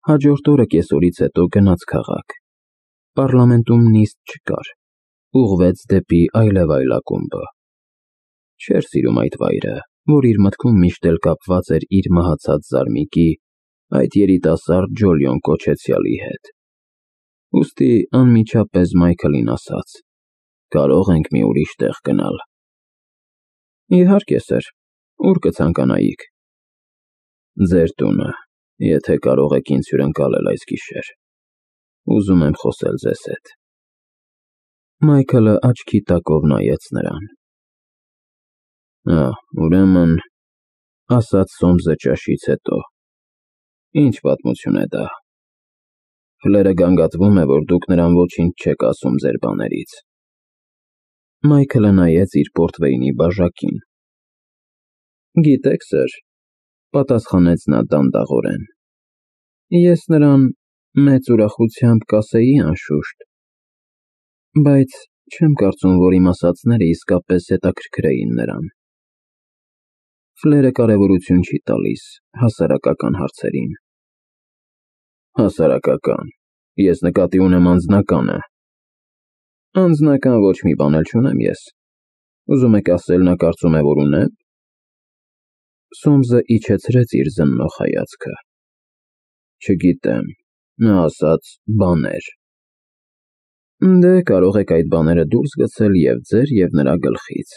Հաջորդ օրը կեսօրից հետո գնաց քաղաք։ Պառլամենտում նիստ չկար, ուղղվեց դեպի այլև ակումբը։ Չէր սիրում այդ վայրը, որ իր մտքում միշտ էլ կապված էր իր մահացած զարմիկի, այդ երիտասարդ Ջոլիոն կոչեցյալի հետ։ Ուստի անմիջապես Մայքլին ասաց. կարող ենք մի ուրիշ տեղ գնալ։ Իհարկե, սըր, ուր կցանկանայիք։ Ձեր տունը, եթե կարող եք ինձ հյուրընկալել այս գիշեր։ Ուզում եմ խոսել ձեզ հետ։ Մայքլը աչքի տակով նայեց նրան։ Ուրեմն, ասաց Սոմսը ճաշից հետո, ինչ պատմություն է դա։ Ֆլերը գանգատվում է, որ դուք նրան ոչինչ չեք ասում ձեր բաներից։ Մայքլը նայեց իր պորտվեյնի բաժակին։ Գիտեք, սըր, պատասխանեց նա դանդաղորեն, ես նրան մեծ ուրախությամբ կասեի անշուշտ, բայց չեմ կարծում, որ իմ ասածները իսկապես հետաքրքրեին նրան։ Ֆլերը կարևորություն չի տալիս հասարակական հարցերին։ Հասարակական, ես նկատի ունեմ անձնականը։ Անձնական ոչ մի բան էլ չունեմ ես։ Ուզում եք ասել նա կարծում է, որ ունեմ։ Սոմսը իջեցրեց իր զննող հայացքը։ Չգիտեմ, նա ասաց բաներ։ Դե կարող եք այդ բաները դուրս գցել և ձեր և նրա գլխից։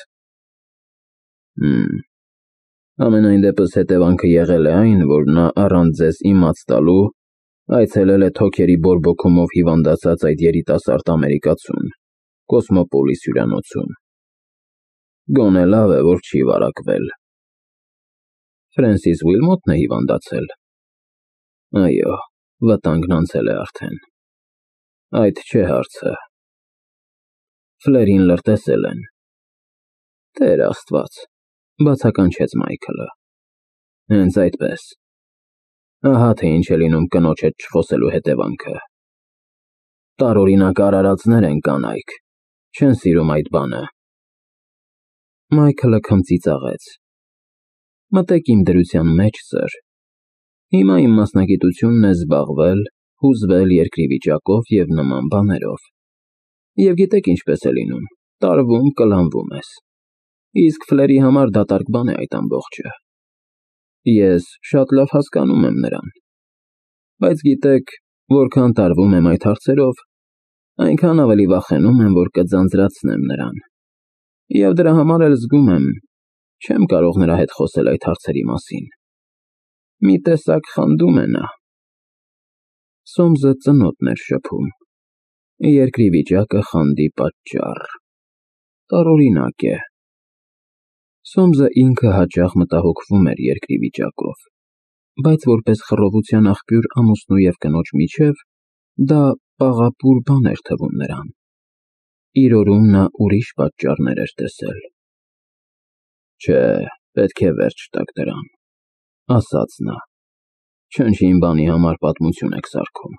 Ամենայն դեպս հետևանքը եղել է այն, որ նա առանց ձեզ իմաց տալու այցելել է թոքերի բորբոքումով հիվանդացած այդ երիտասարդ ամերիկացուն, Կոսմոպոլիս հյուրանոցում։ Գոնե լավ է, որ չի վարակվել։ Ֆրենսիս Ուիլմոթն է հիվանդացել։ Այո, վտանգն անցել է արդեն։ Այդ չէ հարցը։ Ֆլերին լրտեսել են։ Տեր Աստված, բացականչեց Մայքլը։ Հենց այդպես։ Ահա թե ինչ է լինում կնոջ հետ չխոսելու հետևանքը։ Տարօրինակ արարածներ են կանայք, չեն սիրում այդ բանը։ Մայքլը քմծիծաղեց։ Մտեք իմ դրության մեջ, սըր։ Հիմա իմ մասնագիտությունն է զբաղվել, հուզվել երկրի վիճակով և նման բաներով։ Եվ գիտեք ինչպես է լինում, տարվում, կլանվում ես։ Իսկ Ֆլերի համար դատարկ բան է այդ ամբողջը։ Ես շատ լավ հասկանում եմ նրան։ Բայց գիտեք, որքան տարվում եմ այդ հարցերով, այնքան ավելի վախենում եմ, որ կձանձրացնեմ նրան։ Եվ դրա համար էլ զգում եմ, չեմ կարող նրա հետ խոսել այդ հարցերի մասին։ Մի տեսակ խանդում է նա։ Սոմսը ծնոտն էր շփում։ Երկրի վիճակը խանդի պատճառ։ Տարօրինակ է։ Սոմսը ինքը հաճախ մտահոգվում էր երկրի վիճակով, բայց որպես խռովության աղբյուր ամուսնու և կնոջ միջև, դա պաղապուր բան էր թվում նրան։ Իր օրում նա ուրիշ պատճառներ էր տեսել։ Չէ, պետք է վերջ տաք դրան, ասաց նա։ Չնչին բանի համար պատմություն եք սարքում։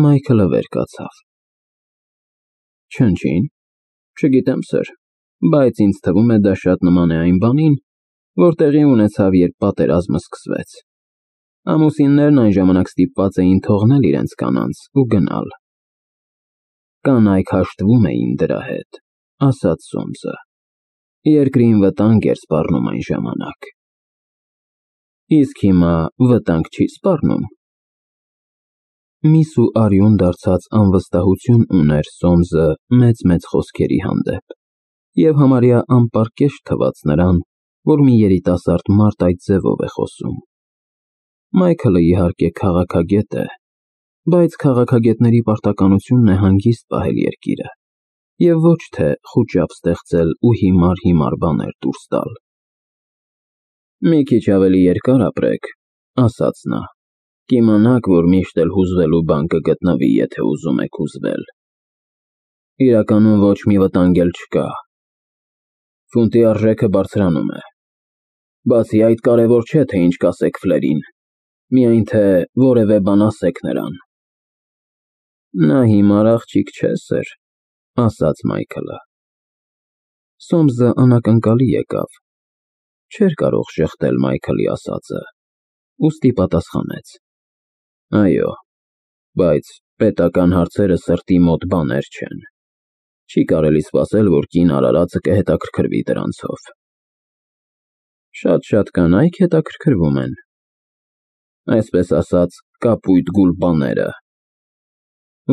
Մայքլը վեր կացավ։ Չնչին, չգիտեմ, սըր, բայց ինձ թվում է դա շատ նման է այն բանին, որ տեղի ունեցավ, երբ պատերազմը սկսվեց։ Ամուսիններն այն ժամանակ ստիպված էին թողնել իրենց կանանց ու գնալ։ Կանայք հաշտվում էին դրա հետ, ասաց Սոմսը։ Երկրին վտանգ էր սպառնում այն ժամանակ։ Իսկ հիմա վտանգ չի սպառնում։ Միս ու արյուն դարձած անվստահություն ուներ Սոմսը մեծ խոսքերի հանդեպ, և համարյա անպարկեշտ թվաց նրան, որ մի երիտասարդ մարդ այդ ձևով է խոսում։ Մայքլը իհարկե քաղաքագետ է, բայց քաղաքագետների պարտականությունն է հանգիստ պահել երկիրը, և ոչ թե խուճապ ստեղծել ու հիմար բաներ դուրս տալ։ Մի քիչ ավելի երկար ապրեք, ասաց նա, կիմանաք, որ միշտ էլ հուզվելու բան կգտնվի, եթե ուզում եք հուզվել։ Իրականում ոչ մի վտանգ էլ չկա։ Ֆունտի արժեքը բարձրանում է։ Բացի այդ, կարևոր չէ, թե ինչ կասեք Ֆլերին, միայն թե որևէ բան ասեք նրան։ Նա հիմար աղջիկ չէ, սըր, ասաց Մայքլը։ Սոմսը անակնկալի եկավ։ Չէր կարող շեղդել Մայքլի ասածը, ուստի պատասխանեց։ Այո, բայց պետական հարցերը սրտի մոտ բաներ չեն։ Չի կարելի սպասել, որ կին արարածը կհետաքրքրվի դրանցով։ Շատ կանայք հետաքրքրվում են։ Այսպես ասած, կապույտ գուլպաները։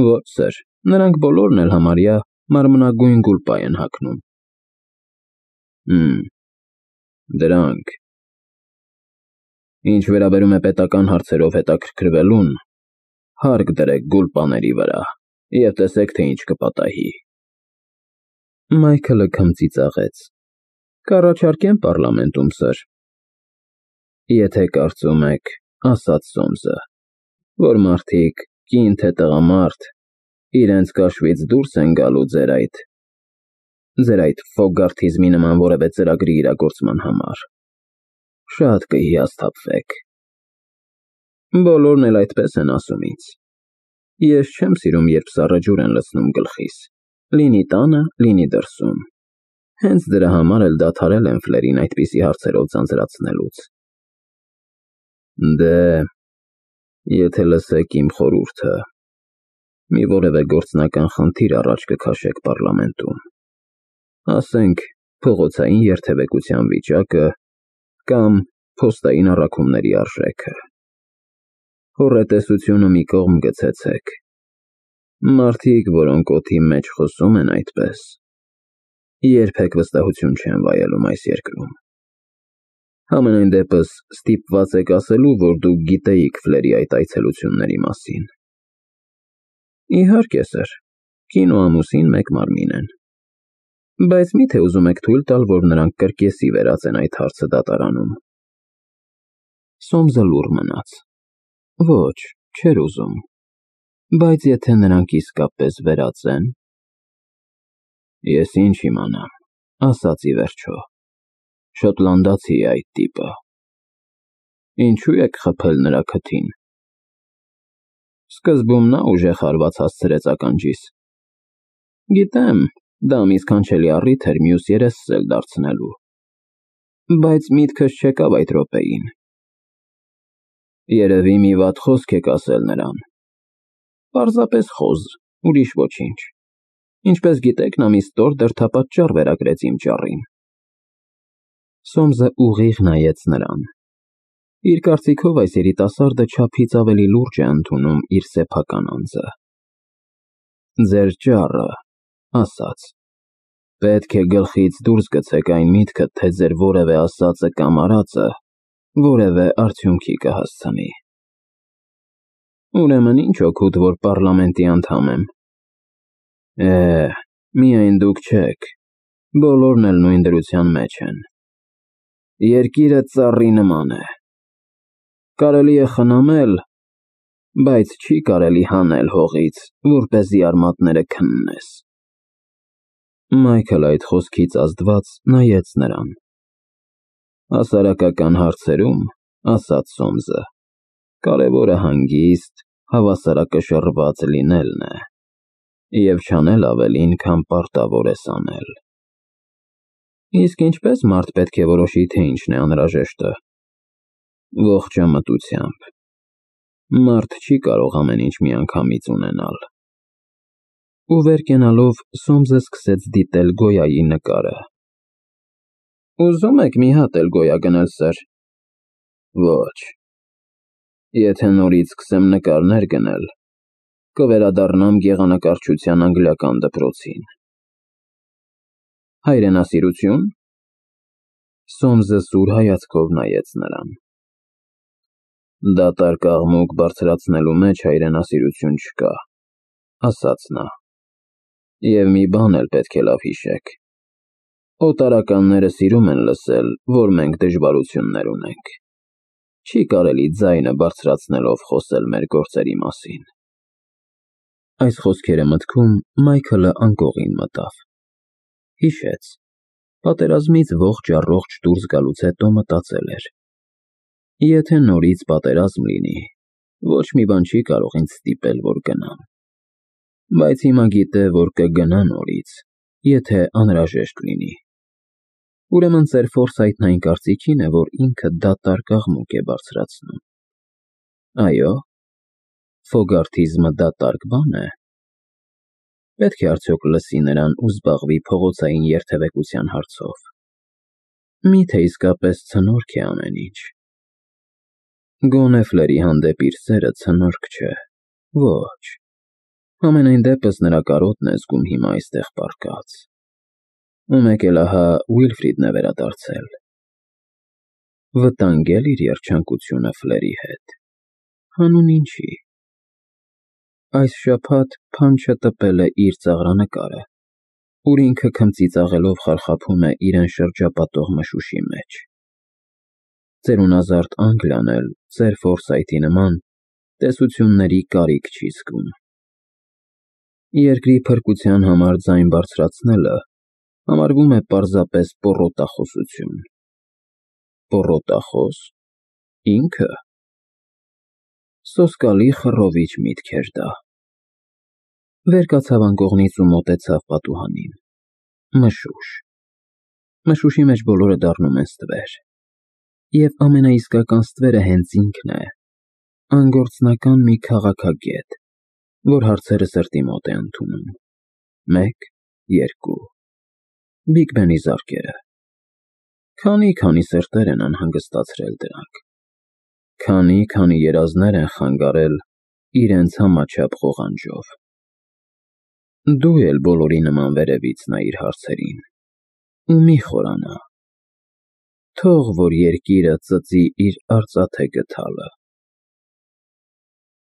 Ոչ, սեր, նրանք բոլորն էլ համարյա մարմնագույն գուլպա են հագնում։ Դրանք։ Ինչ վերաբերում է պետական հարցերով հետաքրքրվելուն, հարկ դրեք գուլպաների վրա և տեսեք, թե ինչ կպատահի։ Մայքլը քմծիծաղեց։ Կառաջարկեմ պառլամենտում, սր։ Եթե կարծում եք, ասաց Սոմսը, որ մարդիկ, կին թե տղամարդ, իրենց կաշվից դուրս են գալու ձեր այդ ֆոգարթիզմի նման որևէ ծրագրի իրագործման համար, շատ կհիասթափվեք։ Բոլորն էլ այդպես են ասում ինձ։ Ես չեմ սիրում, երբ սառը ջուր են լցնում գլխիս, լինի տանը, լինի դրսում։ Հենց դրա համար էլ դադարել եմ Ֆլերին այդպիսի հարցերով ձանձրացնելուց։ Դե, եթե լսեք իմ խորհուրդը, մի որևէ գործնական խնդիր առաջ կքաշեք պառլամենտում, ասենք փողոցային երթևեկության վիճակը կամ փոստային առաքումների արժեքը։ Հոռետեսությունը մի կողմ գցեցեք։ Մարդիկ, որոնք օդի մեջ խոսում են այդպես, երբեք վստահություն չեն վայելում այս երկրում։ Համենայն դեպս ստիպված եք ասելու, որ դուք գիտեիք Ֆլերի այդ այցելությունների մասին։ Իհարկե, սր, կին ու ամուսին մեկ մարմին են։ Բայց միթե ուզում եք թույլ տալ, որ նրանք կրկեսի վերածեն այդ հարցը դատարանում։ Սոմսը լուռ մնաց։ Ոչ, չէր ուզում։ Բայց եթե նրանք իսկապես վերածեն… Ես ինչ իմանամ, ասաց ի վերջո, շոտլանդացի է այդ տիպը։ Ինչու եք խփել նրա քթին։ Սկզբում նա ուժեղ հարված հասցրեց ականջիս։ Գիտեմ, դա մի սքանչելի առիթ էր մյուս երեսս էլ դարձնելու։ Բայց միտքս չեկավ այդ րոպեին։ Երևի մի վատ խոսք եք ասել նրան։ Պարզապես խոզ, ուրիշ ոչինչ։ Ինչպես գիտեք, նա մի ստոր դրդապատճառ վերագրեց իմ ճառին։ Սոմսը ուղիղ նայեց նրան։ Իր կարծիքով այս երիտասարդը չափից ավելի լուրջ է ընդունում իր սեփական անձը։ Ձեր ճառը, ասաց, պետք է գլխից դուրս գցեք այն միտքը, թե ձեր որևէ ասածը կամ արածը որևէ արդյունքի կհասցնի։ Ուրեմն ինչ օգուտ, որ պառլամենտի անդամ եմ։ Միայն դուք չեք, բոլորն էլ նույն դրության մեջ են։ Երկիրը ծառի նման է։ Կարելի է խնամել, բայց չի կարելի հանել հողից, որպեսզի արմատները քննես։ Մայքլը այդ խոսքից ազդված նայեց նրան։ Հասարակական հարցերում, ասաց Սոմսը, կարևորը հանգիստ, հավասարակշռված լինելն է, և չանել ավելին, քան պարտավոր ես անել։ Իսկ ինչպես մարդ պետք է որոշի, թե ինչն է անհրաժեշտը։ Ողջամտությամբ։ Մարդ չի կարող ամեն ինչ միանգամից ունենալ։ Ու վեր կենալով Սոմսը սկսեց դիտել Գոյայի նկարը։ Ուզում եք մի հատ էլ Գոյա գնել, սր։ Ոչ։ Եթե նորից սկսեմ նկարներ գնել, կվերադառնամ գեղանկարչության անգլիական դպրոցին։ Հայրենասիրություն։ Սոմսը սուր հայացքով նայեց նրան։ Դատարկ աղմուկ բարձրացնելու մեջ հայրենասիրություն չկա, ասաց նա։ Եվ մի բան էլ պետք է լավ հիշեք. օտարականները սիրում են լսել, որ մենք դժվարություններ ունենք։ Չի կարելի ձայնը բարձրացնելով խոսել մեր գործերի մասին։ Այս խոսքերը մտքում Մայքլը անկողին մտավ։ Հիշեց։ Պատերազմից ողջ-առողջ դուրս գալուց հետո մտածել էր. եթե նորից պատերազմ լինի, ոչ մի բան չի կարող ինձ ստիպել, որ գնամ։ Բայց հիմա գիտե, որ կգնա նորից, եթե անհրաժեշտ լինի։ Ուրեմն ծեր Ֆորսայթն այն կարծիքին է, որ ինքը դատարկ աղմուկ է բարձրացնում։ Այո, Ֆոգարթիզմը դատարկ բան է։ Պետք է արդյոք լսի նրան ու զբաղվի փողոցային երթևեկության հարցով։ Միթե իսկապես ցնորք է ամեն ինչ։ Գոնե Ֆլերի հանդեպ իր սերը ցնորք չէ։ Ոչ։ Համենայն դեպս նրա կարոտն է զգում հիմա այստեղ պառկած։ Ու մեկ էլ ահա Ուիլֆրիդն է վերադարձել։ Վտանգել իր երջանկությունը Ֆլերի հետ։ Հանուն ինչի։ Այս շաբաթ Փանչը տպել է իր ծաղրանկարը, ուր ինքը քմծիծաղելով խարխափում է իրեն շրջապատող մշուշի մեջ։ Ծերունազարդ Անգլիան էլ ծեր Ֆորսայթի նման տեսությունների կարիք չի զգում։ Երկրի փրկության համար ձայն բարձրացնելը համարվում է պարզապես պոռոտախոսություն։ Պոռոտախոս։ Ինքը։ Սոսկալի խռովիչ միտք էր դա։ Վեր կացավ անկողնից ու մոտեցավ պատուհանին։ Մշուշ։ Մշուշի մեջ բոլորը դառնում են ստվեր։ Եվ ամենաիսկական ստվերը հենց ինքն է, անգործնական մի քաղաքագետ, որ հարցերը սրտի մոտ է ընդունում։ 1, 2։ Բիգ Բենի զարկերը։ Քանի սրտեր են անհանգստացրել դրանք։ Քանի երազներ են խանգարել իրենց համաչափ ղողանջով։ Դու էլ բոլորի նման վերևից նայիր հարցերին, ու մի խորանա։ Թող որ երկիրը ծծի իր արծաթե գդալը։